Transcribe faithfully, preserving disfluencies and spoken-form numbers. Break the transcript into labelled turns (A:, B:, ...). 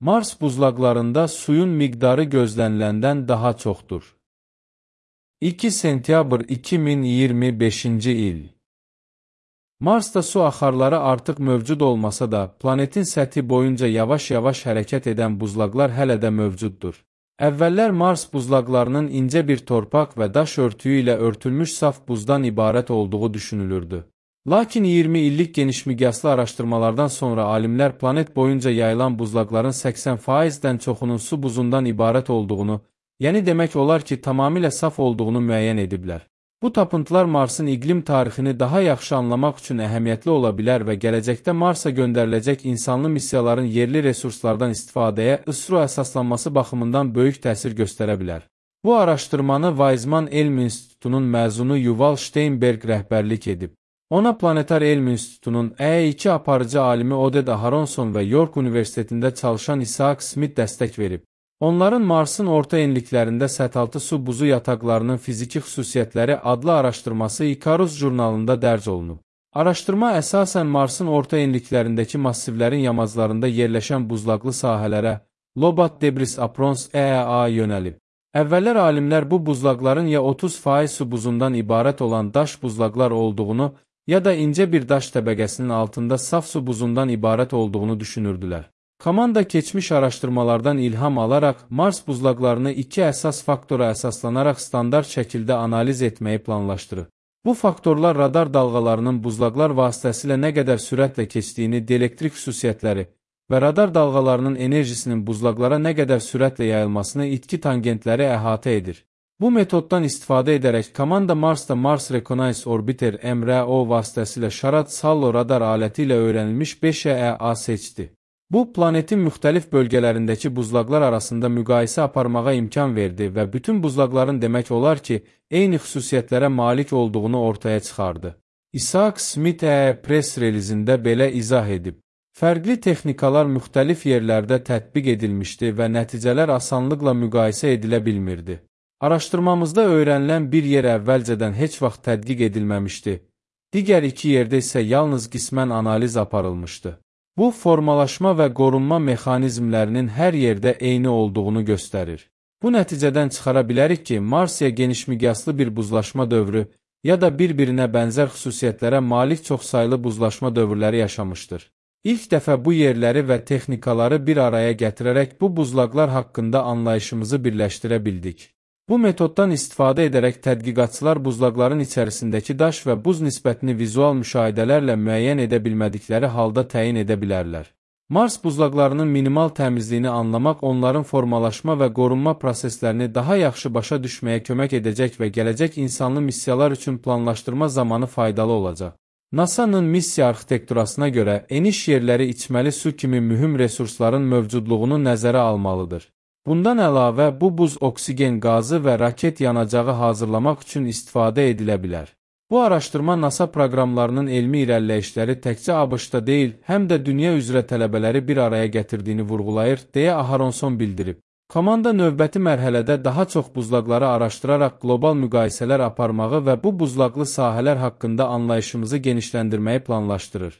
A: Mars buzlaqlarında suyun miqdarı gözləniləndən daha çoxdur. iki sentyabr iki min iyirmi beşinci il. Marsda su axarları artıq mövcud olmasa da, planetin səthi boyunca yavaş-yavaş hərəkət edən buzlaqlar hələ də mövcuddur. Əvvəllər Mars buzlaqlarının incə bir torpaq və daş örtüyü ilə örtülmüş saf buzdan ibarət olduğu düşünülürdü. Lakin iyirmi illik genişmiqyaslı araşdırmalardan sonra alimlər planet boyunca yayılan buzlaqların səksən faizdən çoxunun su buzundan ibarət olduğunu, yəni demək olar ki, tamamilə saf olduğunu müəyyən ediblər. Bu tapıntılar Marsın iqlim tarixini daha yaxşı anlamaq üçün əhəmiyyətli ola bilər və gələcəkdə Marsa göndəriləcək insanlı missiyaların yerli resurslardan istifadəyə ISRO əsaslanması baxımından böyük təsir göstərə bilər. Bu araşdırmanı Weizmann Elm İnstitutunun məzunu Yuval Steinberg rəhbərlik edib. Ona Planetar Elm İnstitutunun E iki aparıcı alimi Oded Aharonson və York Universitetində çalışan Isaac Smith dəstək verib. Onların Marsın orta enliklərində səthaltı su buzu yataqlarının fiziki xüsusiyyətləri adlı araşdırması Icarus jurnalında dərc olunub. Araşdırma əsasən Marsın orta enliklərindəki massivlərin yamaclarında yerləşən buzlaqlı sahələrə, Lobat Debris Aprons E A yönəlib. Əvvəllər alimlər bu buzlaqların ya otuz faiz su buzundan ibarət olan daş buzlaqlar olduğunu, ya da incə bir daş təbəqəsinin altında saf su buzundan ibarət olduğunu düşünürdülər. Komanda keçmiş araşdırmalardan ilham alaraq Mars buzlaqlarını iki əsas faktora əsaslanaraq standart şəkildə analiz etməyi planlaşdırır. Bu faktorlar radar dalğalarının buzlaqlar vasitəsilə nə qədər sürətlə keçdiyini, dielektrik xüsusiyyətləri və radar dalğalarının enerjisinin buzlaqlara nə qədər sürətlə yayılmasını, itki tangentləri əhatə edir. Bu metoddan istifadə edərək komanda Marsda Mars Reconnaissance Orbiter M R O vasitəsilə Şarad Sallo radar aləti ilə öyrənilmiş beş E A seçdi. Bu, planetin müxtəlif bölgələrindəki buzlaqlar arasında müqayisə aparmağa imkan verdi və bütün buzlaqların demək olar ki, eyni xüsusiyyətlərə malik olduğunu ortaya çıxardı. Isaac Smith E press relizində belə izah edib. Fərqli texnikalar müxtəlif yerlərdə tətbiq edilmişdi və nəticələr asanlıqla müqayisə edilə bilmirdi. Araşdırmamızda öyrənilən bir yer əvvəlcədən heç vaxt tədqiq edilməmişdi. Digər iki yerdə isə yalnız qismən analiz aparılmışdı. Bu, formalaşma və qorunma mexanizmlərinin hər yerdə eyni olduğunu göstərir. Bu nəticədən çıxara bilərik ki, Marsiya genişmiqyaslı bir buzlaşma dövrü ya da bir-birinə bənzər xüsusiyyətlərə malik çoxsaylı buzlaşma dövrləri yaşamışdır. İlk dəfə bu yerləri və texnikaları bir araya gətirərək bu buzlaqlar haqqında anlayışımızı birləşdirə bildik. Bu metoddan istifadə edərək tədqiqatçılar buzlaqların içərisindəki daş və buz nisbətini vizual müşahidələrlə müəyyən edə bilmədikləri halda təyin edə bilərlər. Mars buzlaqlarının minimal təmizliyini anlamaq onların formalaşma və qorunma proseslərini daha yaxşı başa düşməyə kömək edəcək və gələcək insanlı missiyalar üçün planlaşdırma zamanı faydalı olacaq. NASA'nın missiya arxitekturasına görə eniş yerləri içməli su kimi mühüm resursların mövcudluğunu nəzərə almalıdır. Bundan əlavə, bu buz oksigen qazı və raket yanacağı hazırlamaq üçün istifadə edilə bilər. Bu araşdırma NASA proqramlarının elmi irəliləyişləri təkcə ABŞ-da deyil, həm də dünya üzrə tələbələri bir araya gətirdiyini vurğulayır, deyə Aharonson bildirib. Komanda növbəti mərhələdə daha çox buzlaqları araşdıraraq qlobal müqayisələr aparmağı və bu buzlaqlı sahələr haqqında anlayışımızı genişləndirməyi planlaşdırır.